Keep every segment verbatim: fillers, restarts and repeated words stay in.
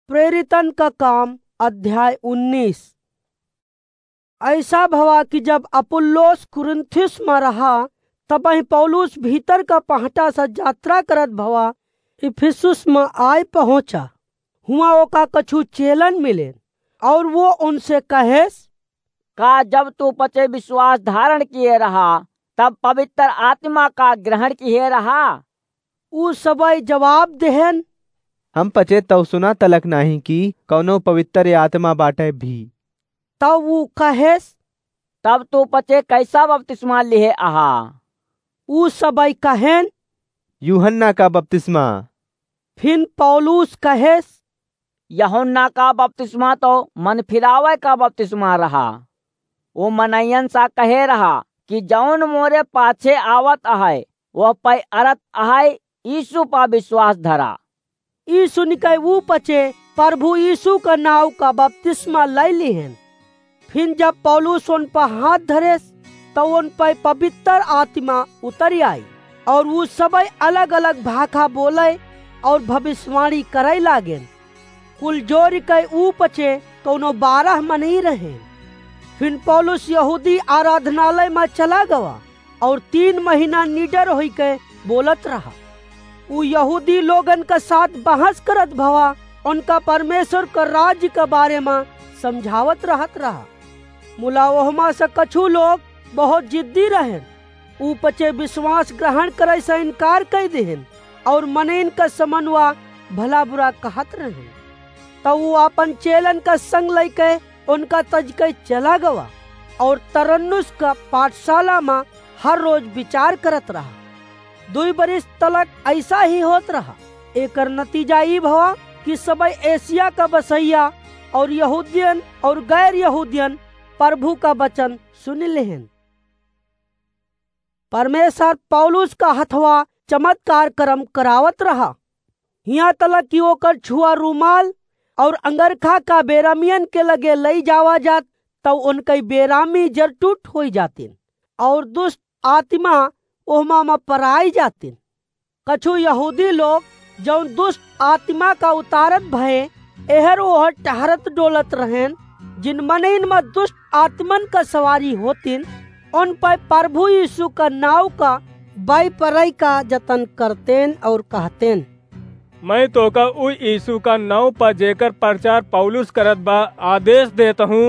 प्रेरितन का काम, अध्याय उन्नीस। ऐसा भवा कि जब अपुल्लोस कुरिन्थुस मा रहा, तबहिं पौलुस भीतर का पहटा से यात्रा करत भवा इफिसुस मा आय पहुँचा। हुआँ ओका कछु चेलन मिलेन, और वो उनसे कहेस, का जब तू पचे विश्वास धारण किए रहा, तब पवित्र आत्मा का ग्रहण किए रहा? ऊ सबई जवाब देहेन, हम पचे तौ सुना तलक नाहीं कि कौनो पवित्र आत्मा बाटे भी। तब ऊ कहेस, तब तू पचे कैसा बपतिस्मा लिहे अहा? ऊ सबई कहेन, यूहन्ना का बपतिस्मा। फिन पौलुस कहेस, यूहन्ना का बपतिस्मा तो मन फिरावे का बपतिस्मा रहा। वो मनइयन सा कहे रहा कि जौन मोरे पाछे आवत अहै, वह पै अरत अहै, यीशु पा विश्वास धरा। ई सुनिकै ऊ पचे प्रभु यीशु का नाव का बपतिस्मा लै लिहेन। फिन जब पौलुस उन पर हाथ धरेस, तो उन पर पवित्र आत्मा उतरि आई, और ऊ सबई अलग-अलग भाखा बोलै और भविष्यवाणी करै लागेन। कुल जोरिकै ऊ पचे कौनो बारह मनई रहेन। फिन पौलुस यहूदी आराधनालय मा चला गवा और तीन महीना निडर होइके बोलत रहा। ऊ यहूदी लोगन का साथ बहस करत भवा, उनका परमेश्वर का राज्य का बारे मा समझावत रहत रहा। मुला ओहमा से कछु लोग बहुत जिद्दी रहेन। ऊ पचे विश्वास ग्रहण करै से इनकार कै देहेन और मनइन का समनवा भला बुरा कहत रहेन। तब ऊ आपन चेलन का संग लैके उनका तजकै चला गवा और तरन्नुस का पाठशाला मा हर रोज विचार करत रहा। दुई बरिस तलक ऐसा ही होत रहा। एकर नतीजा ई भवा कि सबई एशिया का बसैया और यहूदियन और गैर यहूदियन प्रभु का वचन सुनि लेहेन। परमेश्वर पौलुस का हथवा चमत्कार करम करावत रहा। हियाँ तलक कि ओकर छुआ रुमाल और अंगरखा का बेरामियन के लगे लई जावा जात, तौ उनकै बेरामी जरटूट होई जातिन और दुष्ट आत्मा ओहमा मा पराई जातिन। कछु यहूदी लोग जौन दुष्ट आत्मा का उतारत भए एहर ओहर टहरत डोलत रहेन, जिन मनइन मा दुष्ट आत्मन का सवारी होतिन, उन पै प्रभु यीशु का नाव का बै परै का जतन करतेन और कहतेन, मैं तोका उ यीशु का नाव पा जेकर प्रचार पौलुस करत बा आदेश देत हूँ।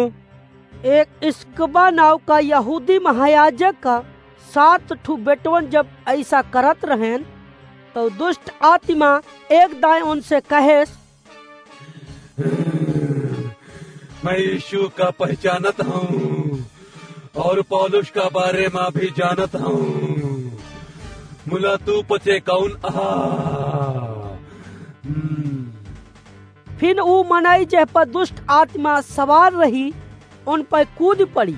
एक स्क्किवा नाव का यहूदी महायाजक का सात ठू बेटवन जब ऐसा करत रहेन, तो दुष्ट आत्मा एक दाएं उनसे कहेस, मैं यीशु का पहचानत हूँ और पौलुस का बारे मा भी जानत हूँ। मुला तू पचे कौन अहा? हम्म। फिन ऊ मनई जेह पर दुष्ट आत्मा सवार रही, उन पर कूद पड़ी।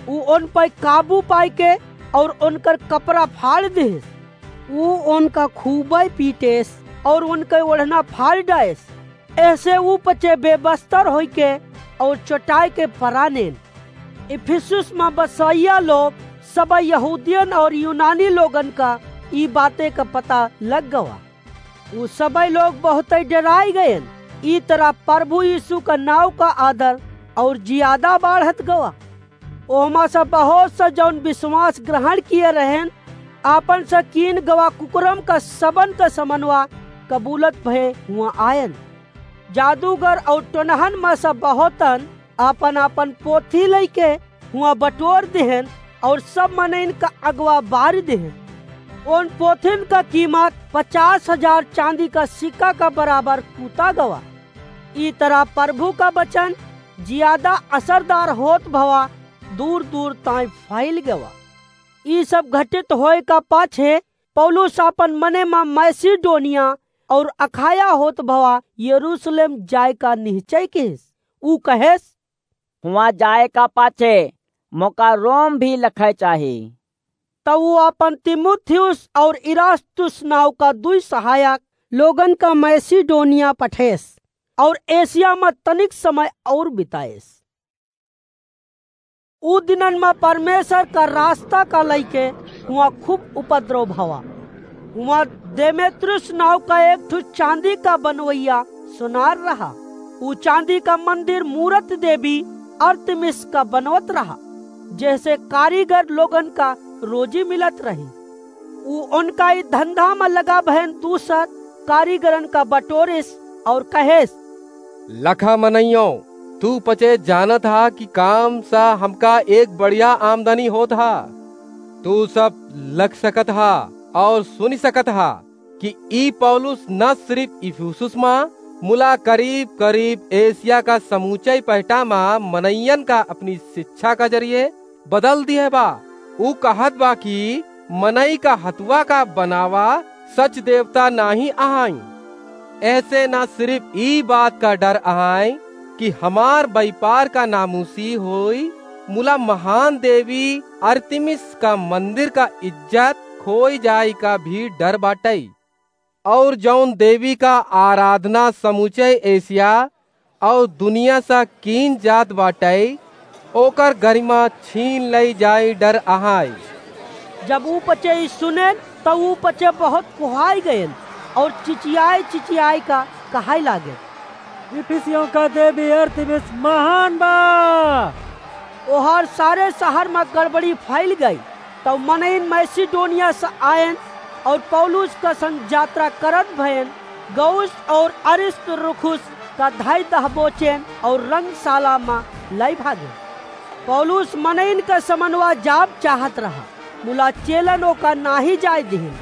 ऊ उन पर काबू पाइके और उनकर कपड़ा फाड़ देस। ऊ उनका खूबे पीटेस और उनके ओढ़ना फाड़ डाएस। ऐसे ऊ पचे बेबस्तर होइके और चोटाइके परानेन। इफिसुस मा बसैया लोग सब यहूदियन और यूनानी लोगन का ई बाते का पता लग गवा। ऊ सबई लोग बहुतै डेराई गएन। ई तरह प्रभु यीशु का नाव का आदर और जियादा बाढ़त गवा। ओहमा से बहुत सा जौन विश्वास ग्रहण किए रहेन, आपन से कीन गवा कुकरम का सबन का समनवा कबूलत भए हुआँ आएन। जादूगर और टोनहन मा से बहुतन आपन आपन पोथी लइके हुआँ बटोर देहेन और सब मनइन का अगवा बार देहेन। उन पोथिन का कीमत पचास हजार चांदी का सिक्का का बराबर कूता गवा। ई तरह प्रभु का वचन जियादा असरदार होत भवा दूर दूर ताईं फैल गवा। ई सब घटित होए का पाछे पौलुस आपन मने मा मैसिडोनिया और अखाया होत भवा यरूशलेम जाए का निश्चय किहिस। ऊ कहेस, हुआँ जाए का पाछे मोका रोम भी लखै चाही। तब ऊ आपन तीमुथियुस और इरास्तुस नाव का दुई सहायक लोगन का मैसिडोनिया पठेस और एशिया मा तनिक समय और बिताएस। ऊ दिनन मा परमेश्वर का रास्ता का लइके हुआँ खूब उपद्रव भवा। हुआँ देमेत्रियुस नाव का एक ठो चांदी का बनवैया सोनार रहा। ऊ चांदी का मंदिर मूरत देवी अरतिमिस का बनवत रहा, जेहसे कारीगर लोगन का रोजी मिलत रही। ऊ उनका ई धंधा म लगा भयन दूसर कारीगरन का बटोरिस और कहेस, लखा मनइयो, तू पचे जानत हा कि काम सा हमका एक बढ़िया आमदनी होत हा। तू सब लख सकत हा और सुनि सकत हा कि ई पौलुस न सिर्फ इफिसुस मा, मुला करीब करीब एशिया का समूचे पहटा मा मनइयन का अपनी शिक्षा का जरिए बदल दिहे बा। ऊ कहत बा कि मनई का हथवा का बनावा सच देवता नाही अहाई। ऐसे ना सिर्फ ई बात का डर अहाई कि हमार व्यापार का नामूसी होई, मुला महान देवी अरतिमिस का मंदिर का इज्जत खोई जाई का भी डर बाटई। और जौन देवी का आराधना समूचे एशिया और दुनिया सा कीन जात बाटई, ओकर गरिमा छीन लई जाई डर अहाई। जब ऊ पचे ई सुनेन, त ऊ पचे बहुत कुहाई गएन और चिचियाए चिचियाए का कहाई लागेन, इफिसियों का देवी अरतिमिस महान बा। ओहर सारे शहर मा गड़बड़ी फैल गई। तब मनइन मैसिडोनिया से आयन और पौलुस का संग यात्रा करत भयन गौस और अरिस्तर्खुस का धाई दहबोचेन और रंगशाला मा लाई भागे। पौलुस मनइन का समनवा जाब चाहत रहा, मुला चेलन ओका नाही जाय दिहिन।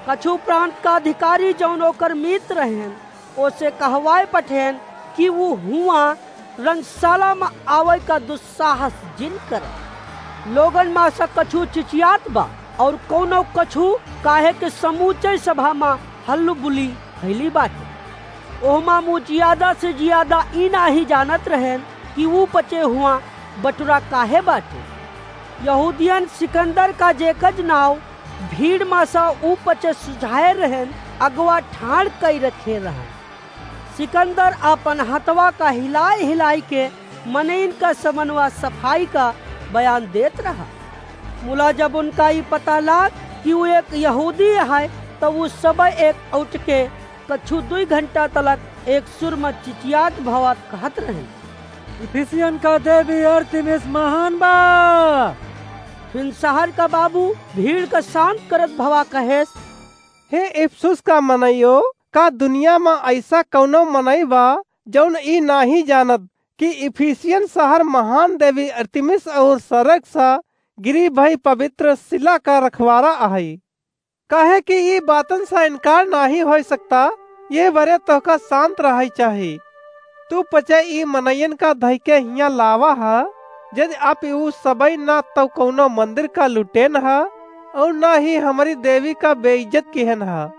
कछु प्रांत का अधिकारी जौन ओकर मीत रहेन, ओसे कहवाए पठेन कि ऊ हुआं रंगशाला मा आवै का दुस्साहस जिन करे। लोगन मा से कछु चिचियात बा और कौनो कछु, काहे के समूचे सभा मा हल्लुबुली फैली बाटे। ओहमा मू जियादा से जियादा ई नाही जानत रहेन कि ऊ पचे हुआं बटुरा काहे बाटे। यहूदियन सिकंदर का जेकज नाव भीड़ मा सा ऊ पचे सुझाए रहेन, अगवा ठाड़ कई रखे रहन। सिकंदर आपन हथवा का हिलाई हिलाई के मनइन का समनवा सफाई का बयान देत रहा। मुला जब उनका ई पता लाग कि ऊ एक यहूदी है, तब ऊ सब एक उठ के कछु दुई घंटा तलक एक सुर मा चिचियात भवा कहत रहे, इफिसियन का देवी अरतिमिस महान बा। फिन शहर का बाबू भीड़ का शांत करत भवा कहेस, हे इफिसुस का मनइयो, का दुनिया मा ऐसा कौनो मनई बा जौन ई नाही जानत कि इफिसियन शहर महान देवी अरतिमिस और सरग सा गिरी भई पवित्र शिला का रखवारा अहई? काहे कि ई बातन सा इनकार नाही होई सकता। ये बरे तोहका शांत रहई चाही। तू पचे ई मनइयन का धइके हियां लावा ह। यदि आप ऊ सबई ना तौ कौनो मंदिर का लुटेन ह और ना ही हमरी देवी का बेइज्जत किहन ह।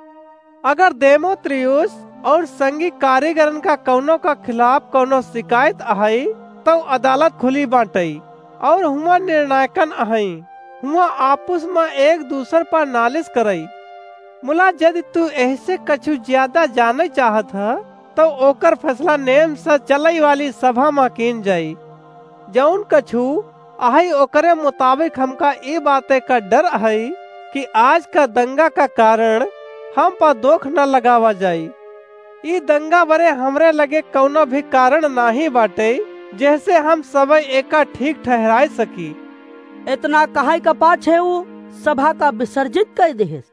अगर देमेत्रियुस और संगी कारीगरन का कौनो का खिलाफ कौनो शिकायत अहई, तौ अदालत खुली बाटई और हुआं निर्णायकन अहई। हुआं आपुस मा एक दूसर पर नालिश करई। मुला यदि तू एहसे कछु ज्यादा जाने चाहत ह, तौ ओकर फैसला नेम से चलई वाली सभा मा कीन जाई। जौन कछु अहई ओकरे मुताबिक हमका ई बाते का डर अहई कि आज का दंगा का कारण हम पर दोख न लगावा जाई। ई दंगा बरे हमरे लगे कौनो भी कारण नाही बाटे, जेहसे हम सबई एका ठीक ठहराए सकी। इतना कहई का पाछे ऊ सभा का विसर्जित कई देहेस।